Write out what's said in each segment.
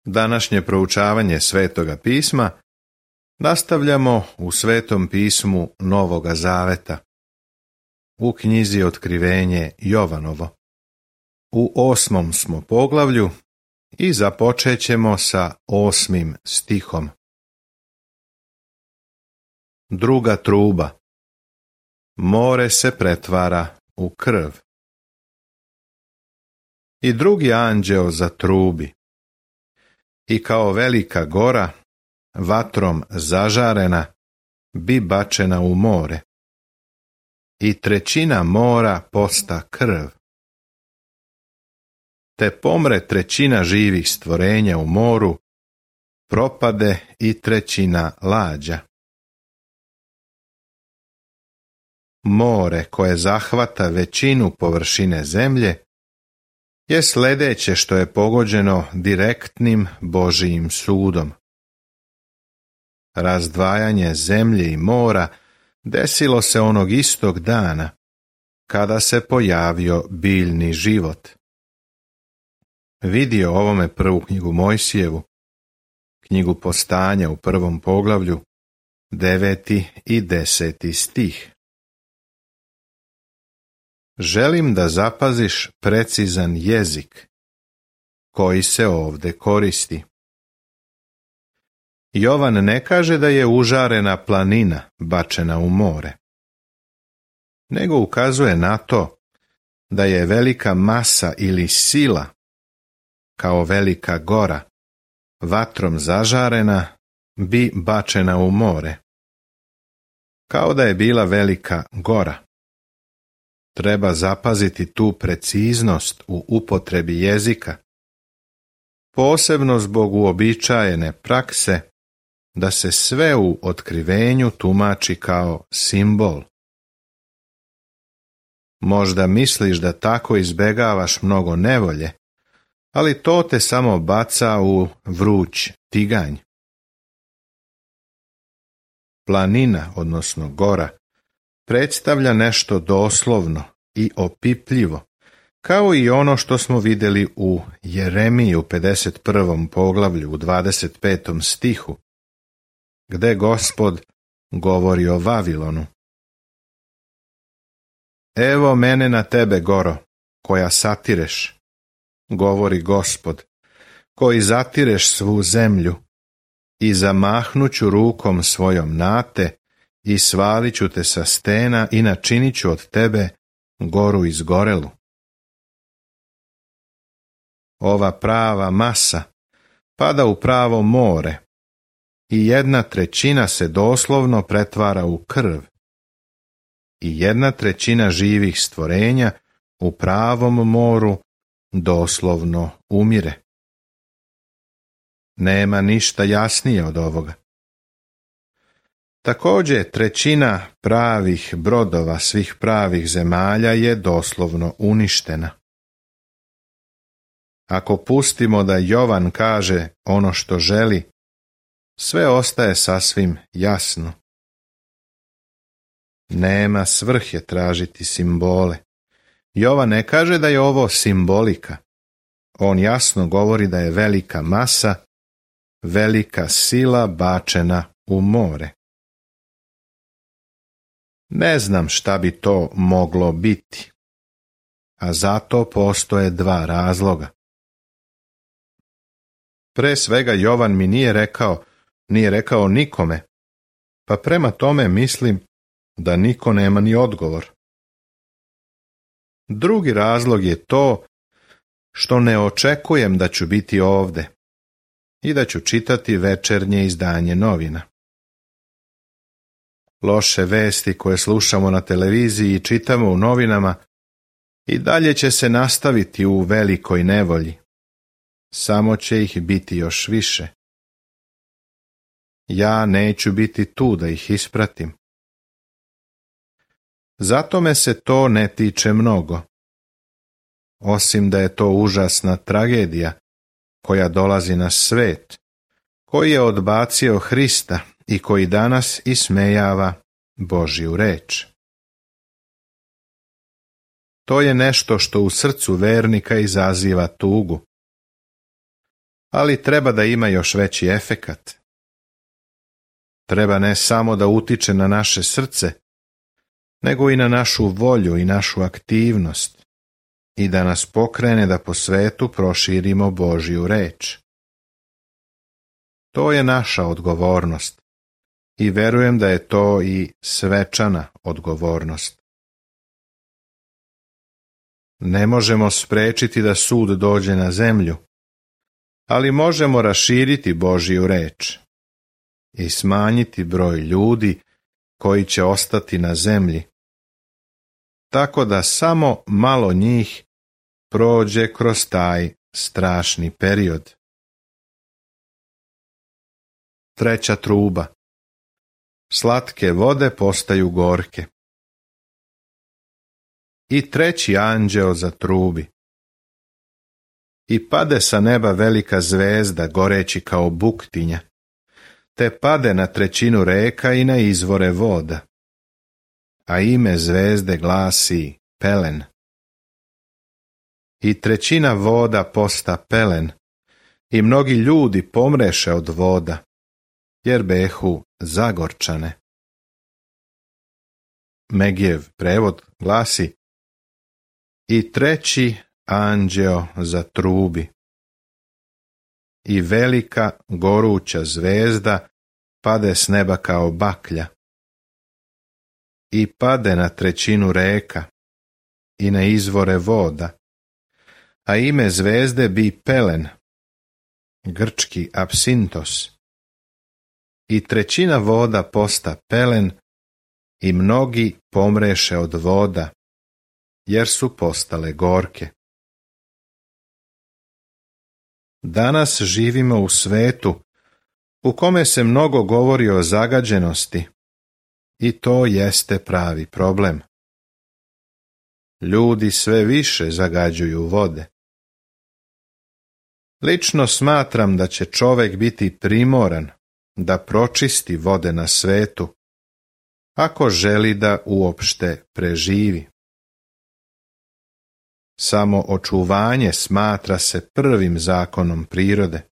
Današnje proučavanje Svetoga pisma nastavljamo u Svetom pismu Novoga Zaveta, u knjizi Otkrivenje Jovanovo. U 8. smo poglavlju i započet ćemo sa 8. stihom. Druga truba. More se pretvara u krv. I drugi anđeo zatrubi. I kao velika gora, vatrom zažarena, bi bačena u more. I 1/3 mora posta krv. Te pomre 1/3 živih stvorenja u moru, propade i 1/3 lađa. More koje zahvata većinu površine zemlje je sljedeće što je pogođeno direktnim Božijim sudom. Razdvajanje zemlje i mora desilo se onog istog dana, kada se pojavio biljni život. Vidi o ovome prvu knjigu Mojsijevu, knjigu Postanja u 1. poglavlju, 9. i 10. stih. Želim da zapaziš precizan jezik koji se ovdje koristi. Jovan ne kaže da je užarena planina bačena u more, nego ukazuje na to da je velika masa ili sila, kao velika gora, vatrom zažarena, bi bačena u more. Kao da je bila velika gora. Treba zapaziti tu preciznost u upotrebi jezika, posebno zbog uobičajene prakse da se sve u otkrivenju tumači kao simbol. Možda misliš da tako izbegavaš mnogo nevolje, ali to te samo baca u vruć tiganj. Planina, odnosno gora, predstavlja nešto doslovno i opipljivo, kao i ono što smo vidjeli u Jeremiji u 51. poglavlju u 25. stihu, gde Gospod govori o Vavilonu. Evo mene na tebe, goro, koja satireš, govori Gospod, koji zatireš svu zemlju, i zamahnuću rukom svojom na te, i svalit ću te sa stena i načinit ću od tebe goru izgorelu. Ova prava masa pada u pravo more i 1/3 se doslovno pretvara u krv i 1/3 živih stvorenja u pravom moru doslovno umire. Nema ništa jasnije od ovoga. Također 1/3 pravih brodova svih pravih zemalja je doslovno uništena. Ako pustimo da Jovan kaže ono što želi, sve ostaje sasvim jasno. Nema svrhe tražiti simbole. Jovan ne kaže da je ovo simbolika. On jasno govori da je velika masa, velika sila bačena u more. Ne znam šta bi to moglo biti, a zato postoje 2 razloga. Pre svega Jovan mi nije rekao nikome, pa prema tome mislim da niko nema ni odgovor. Drugi razlog je to što ne očekujem da ću biti ovdje i da ću čitati večernje izdanje novina. Loše vesti koje slušamo na televiziji i čitamo u novinama i dalje će se nastaviti u velikoj nevolji. Samo će ih biti još više. Ja neću biti tu da ih ispratim. Zato me se to ne tiče mnogo. Osim da je to užasna tragedija koja dolazi na svet, koji je odbacio Hrista i koji danas ismejava Božju reč. To je nešto što u srcu vernika izaziva tugu. ali treba da ima još veći efekat. Treba ne samo da utiče na naše srce, nego i na našu volju i našu aktivnost i da nas pokrene da po svetu proširimo Božju reč. To je naša odgovornost i verujem da je to i svečana odgovornost. Ne možemo sprečiti da sud dođe na zemlju, ali možemo raširiti Božju reč i smanjiti broj ljudi koji će ostati na zemlji, tako da samo malo njih prođe kroz taj strašni period. Treća truba. Slatke vode postaju gorke. I treći anđeo zatrubi. I pade sa neba velika zvezda goreći kao buktinja, te pade na trećinu reka i na izvore voda. A ime zvezde glasi Pelen. I trećina voda posta pelen, i mnogi ljudi pomreše od voda, jer behu zagorčane. Megijev prevod glasi: I treći anđeo zatrubi. I velika goruća zvezda pade s neba kao baklja. I pade na trećinu reka i na izvore voda, a ime zvezde bi Pelen, grčki apsintos. I trećina voda posta pelen, i mnogi pomreše od voda, jer su postale gorke. Danas živimo u svetu u kome se mnogo govori o zagađenosti, i to jeste pravi problem. Ljudi sve više zagađuju vode. Lično smatram da će čovjek biti primoran da pročisti vode na svetu, ako želi da uopšte preživi. Samo očuvanje smatra se prvim zakonom prirode.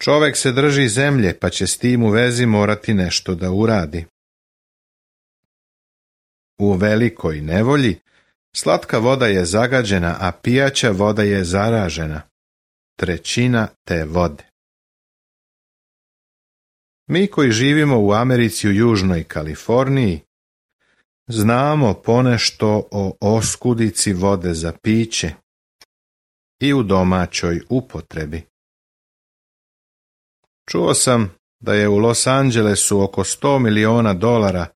Čovjek se drži zemlje, pa će s tim u vezi morati nešto da uradi. U velikoj nevolji slatka voda je zagađena, a pijaća voda je zaražena. Trećina te vode. Mi koji živimo u Americi u Južnoj Kaliforniji znamo ponešto o oskudici vode za piće i u domaćoj upotrebi. Čuo sam da je u Los Angelesu oko $100 miliona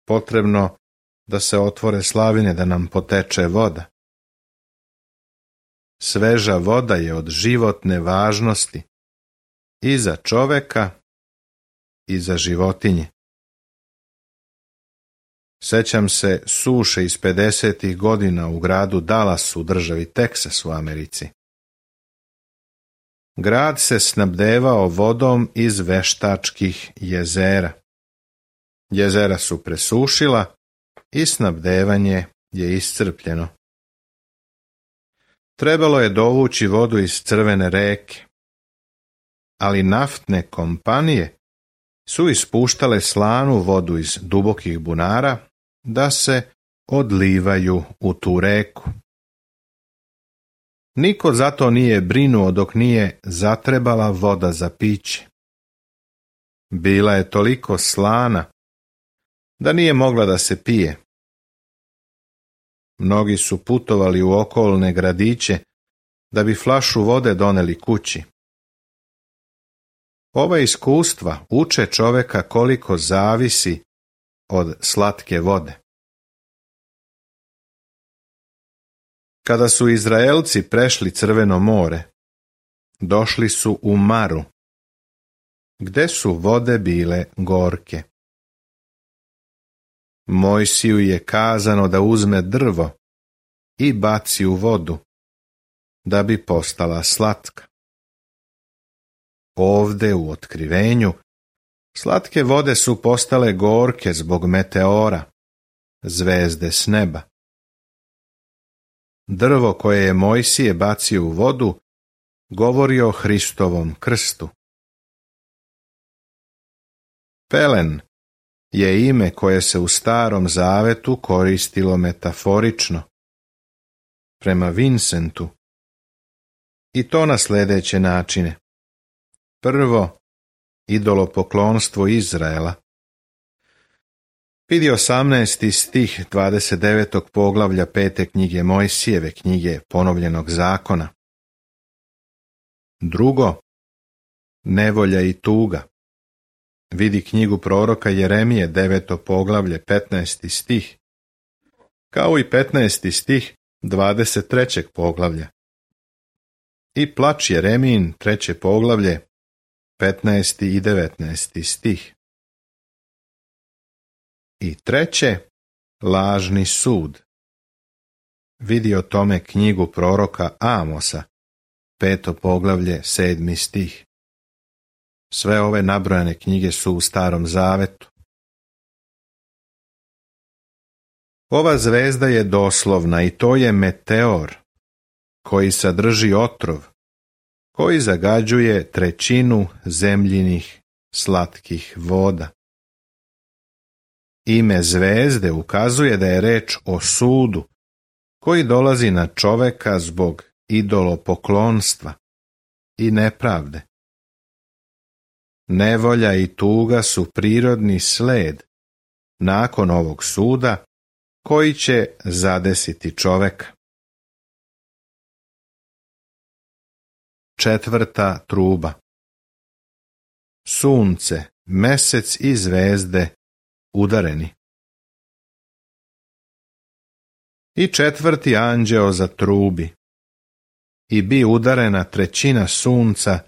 potrebno da se otvore slavine da nam poteče voda. Sveža voda je od životne važnosti i za čoveka i za životinje. Sećam se suše iz 50. godina u gradu Dallas u državi Teksas u Americi. Grad se snabdevao vodom iz veštačkih jezera. Jezera su presušila i snabdevanje je iscrpljeno. Trebalo je dovući vodu iz Crvene reke, ali naftne kompanije su ispuštale slanu vodu iz dubokih bunara da se odlivaju u tu reku. Niko zato nije brinuo dok nije zatrebala voda za piće. Bila je toliko slana da nije mogla da se pije. Mnogi su putovali u okolne gradiće da bi flašu vode doneli kući. Ova iskustva uče čoveka koliko zavisi od slatke vode. Kada su Izraelci prešli Crveno more, došli su u Maru, gde su vode bile gorke. Mojsiju je kazano da uzme drvo i baci u vodu, da bi postala slatka. Ovde u Otkrivenju slatke vode su postale gorke zbog meteora, zvezde s neba. Drvo koje je Mojsije bacio u vodu govori o Hristovom krstu. Pelen je ime koje se u Starom Zavetu koristilo metaforično, prema Vincentu, i to na sljedeće načine. Prvo, idolopoklonstvo Izraela. Vidi 18. stih 29. poglavlja 5. knjige Mojsijeve, knjige Ponovljenog zakona. Drugo, nevolja i tuga. Vidi knjigu proroka Jeremije, 9. poglavlje, 15. stih, kao i 15. stih 23. poglavlja. I plač Jeremijin, 3. poglavlje, 15. i 19. stih. I treće, lažni sud. Vidi o tome knjigu proroka Amosa, 5. poglavlje, 7. stih. Sve ove nabrojane knjige su u Starom Zavetu. Ova zvezda je doslovna i to je meteor, koji sadrži otrov, koji zagađuje trećinu zemljinih slatkih voda. Ime zvezde ukazuje da je reč o sudu, koji dolazi na čoveka zbog idolopoklonstva i nepravde. Nevolja i tuga su prirodni sled nakon ovog suda koji će zadesiti čoveka. Četvrta truba. Sunce, mesec i zvezde udareni. I četvrti anđeo zatrubi. I bi udarena trećina sunca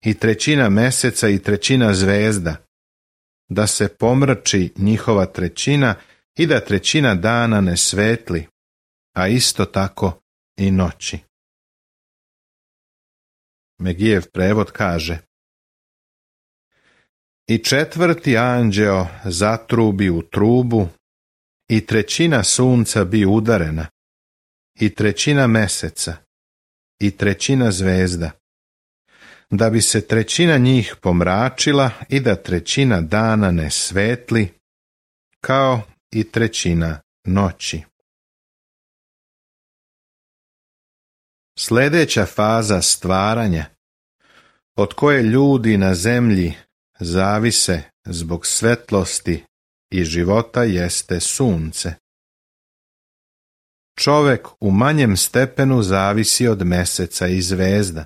i trećina meseca i trećina zvezda, da se pomrači njihova trećina i da trećina dana ne svetli, a isto tako i noći. Megijev prevod kaže: I četvrti anđeo zatrubi u trubu, i trećina sunca bi udarena, i trećina meseca, i trećina zvezda, da bi se trećina njih pomračila i da trećina dana ne svetli, kao i trećina noći. Sljedeća faza stvaranja, od koje ljudi na zemlji zavise zbog svetlosti i života, jeste sunce. Čovek u manjem stepenu zavisi od meseca i zvezda.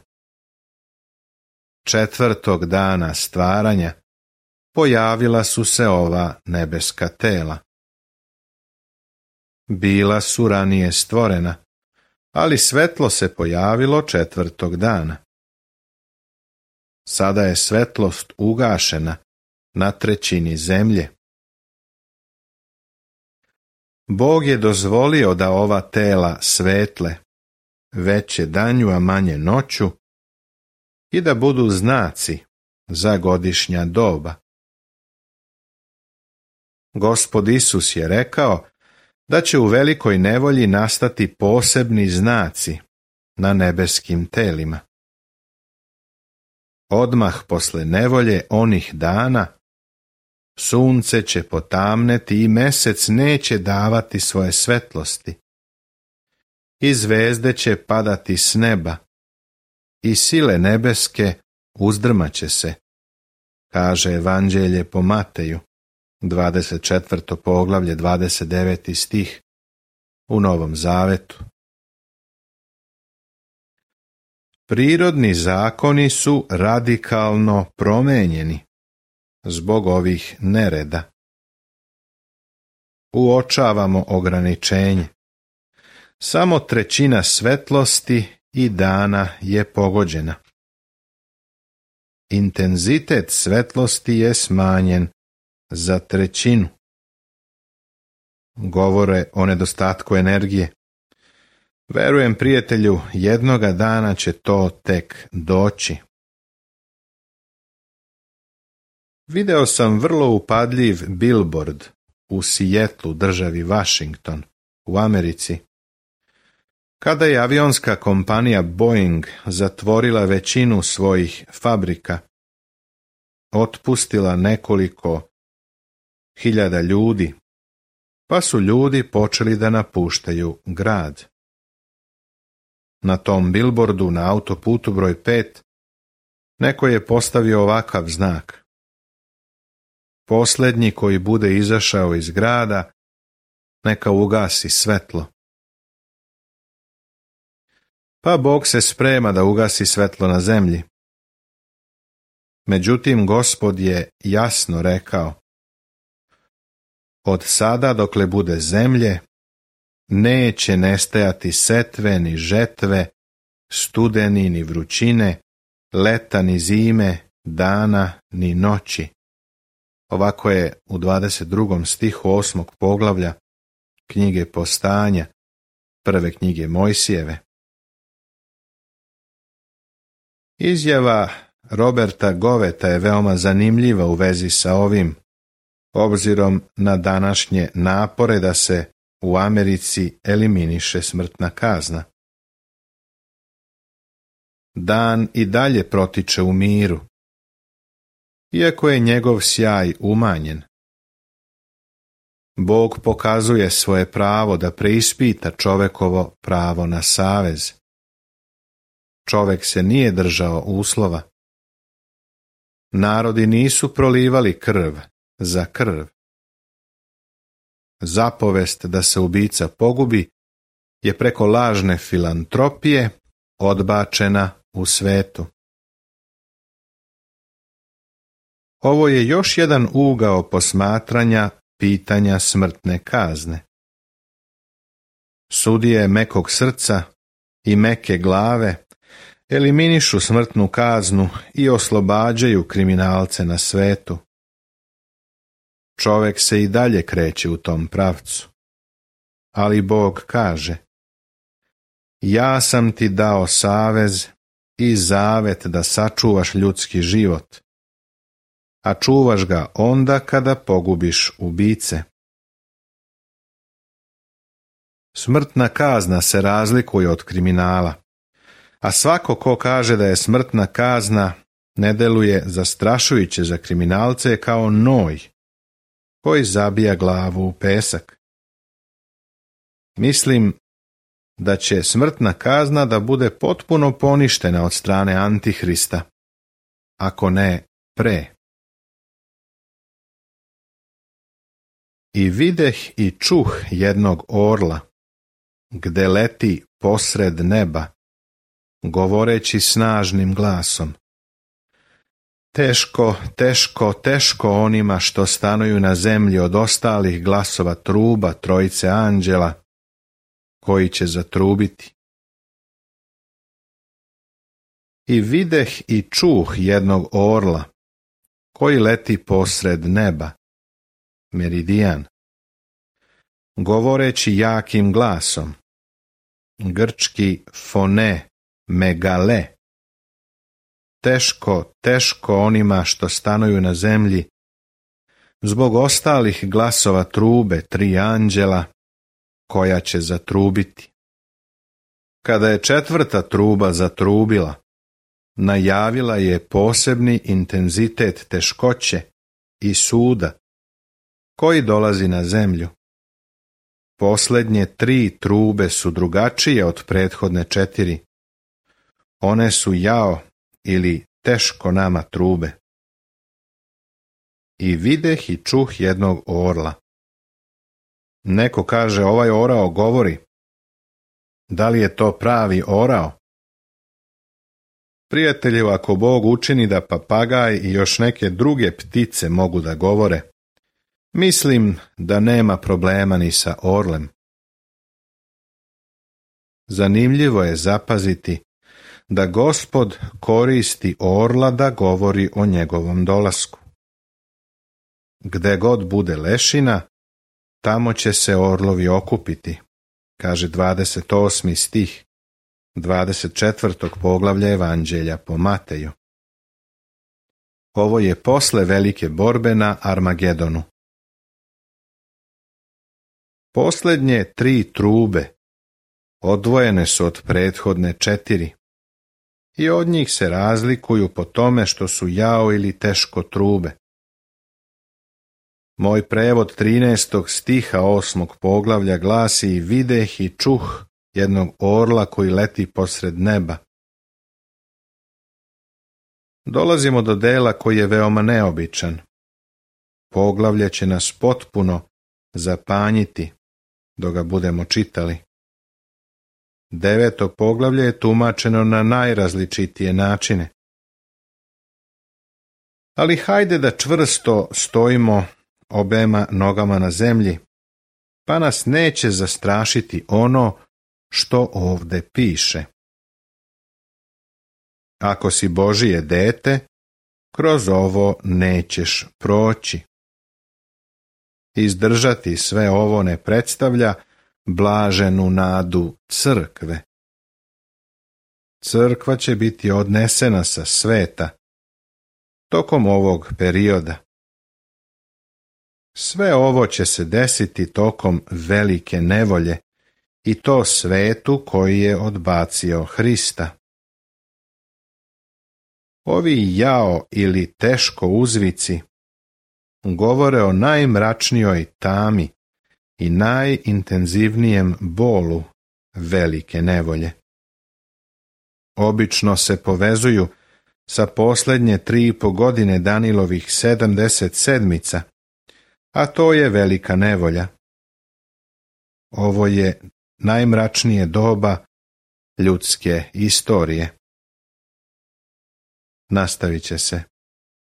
Četvrtog dana stvaranja pojavila su se ova nebeska tela. Bila su ranije stvorena, ali svetlo se pojavilo četvrtog dana. Sada je svetlost ugašena na trećini zemlje. Bog je dozvolio da ova tela svetle, veće danju a manje noću, i da budu znaci za godišnja doba. Gospod Isus je rekao da će u velikoj nevolji nastati posebni znaci na nebeskim telima. Odmah posle nevolje onih dana sunce će potamneti i mesec neće davati svoje svetlosti. I zvezde će padati s neba i sile nebeske uzdrmaće se, kaže Evanđelje po Mateju, 24. poglavlje, 29. stih u Novom Zavetu. Prirodni zakoni su radikalno promenjeni zbog ovih nereda. Uočavamo ograničenje. Samo trećina svetlosti i dana je pogođena. Intenzitet svetlosti je smanjen za trećinu. Govore o nedostatku energije. Verujem, prijatelju, jednoga dana će to tek doći. Video sam vrlo upadljiv billboard u Sijetlu, državi Washington, u Americi. Kada je avionska kompanija Boeing zatvorila većinu svojih fabrika, otpustila nekoliko hiljada ljudi, pa su ljudi počeli da napuštaju grad. Na tom bilbordu na autoputu broj 5 neko je postavio ovakav znak: posljednji koji bude izašao iz grada, neka ugasi svetlo. Pa Bog se sprema da ugasi svetlo na zemlji. Međutim, Gospod je jasno rekao: od sada dokle bude zemlje, neće nestajati setve ni žetve, studeni ni vrućine, leta ni zime, dana ni noći. Ovako je u 22. stihu 8. poglavlja knjige Postanja, prve knjige Mojsijeve. Izjava Roberta Goveta je veoma zanimljiva u vezi sa ovim, obzirom na današnje napore da se u Americi eliminiše smrtna kazna. Dan i dalje protiče u miru, iako je njegov sjaj umanjen. Bog pokazuje svoje pravo da preispita čovekovo pravo na savez. Čovek se nije držao uslova. Narodi nisu prolivali krv za krv. Zapovest da se ubica pogubi je preko lažne filantropije odbačena u svetu. Ovo je još jedan ugao posmatranja pitanja smrtne kazne. Sudije mekog srca i meke glave eliminišu smrtnu kaznu i oslobađaju kriminalce na svetu. Čovek se i dalje kreće u tom pravcu. Ali Bog kaže: ja sam ti dao savez i zavet da sačuvaš ljudski život, a čuvaš ga onda kada pogubiš ubice. Smrtna kazna se razlikuje od kriminala, a svako ko kaže da je smrtna kazna ne deluje zastrašujuće za kriminalce kao noj koji zabija glavu u pesak. Mislim da će smrtna kazna da bude potpuno poništena od strane Antihrista, ako ne pre. I videh i čuh jednog orla, gde leti posred neba, govoreći snažnim glasom: teško, teško, teško onima što stanuju na zemlji od ostalih glasova truba trojice anđela, koji će zatrubiti. I videh i čuh jednog orla, koji leti posred neba, meridijan, govoreći jakim glasom, grčki fone, megale: teško, teško onima što stanuju na zemlji, zbog ostalih glasova trube tri anđela, koja će zatrubiti. Kada je četvrta truba zatrubila, najavila je posebni intenzitet teškoće i suda koji dolazi na zemlju. Posljednje tri trube su drugačije od prethodne četiri. One su jao ili teško nama trube. I videh i čuh jednog orla. Neko kaže: ovaj orao govori. Da li je to pravi orao? Prijatelju, ako Bog učini da papagaj i još neke druge ptice mogu da govore, mislim da nema problema ni sa orlem. Zanimljivo je zapaziti da Gospod koristi orla da govori o njegovom dolasku. Gde god bude lešina, tamo će se orlovi okupiti, kaže 28. stih 24. poglavlja Evanđelja po Mateju. Ovo je posle velike borbe na Armagedonu. Posljednje tri trube odvojene su od prethodne 4 i od njih se razlikuju po tome što su jao ili teško trube. Moj prevod 13. stiha 8. poglavlja glasi: videh i čuh jednog orla koji leti posred neba. Dolazimo do dela koji je veoma neobičan. Poglavlje će nas potpuno zapanjiti dok ga budemo čitali. 9. poglavlje je tumačeno na najrazličitije načine. Ali hajde da čvrsto stojimo obema nogama na zemlji, pa nas neće zastrašiti ono što ovde piše. Ako si Božije dete, kroz ovo nećeš proći. Izdržati sve ovo ne predstavlja blaženu nadu crkve. Crkva će biti odnesena sa sveta tokom ovog perioda. Sve ovo će se desiti tokom velike nevolje, i to svetu koji je odbacio Hrista. Ovi jao ili teško uzvici govore o najmračnijoj tami i najintenzivnijem bolu velike nevolje. Obično se povezuju sa posljednje 3,5 godine Danilovih 70 sedmica, a to je velika nevolja. Ovo je najmračnije doba ljudske istorije. Nastavit će se.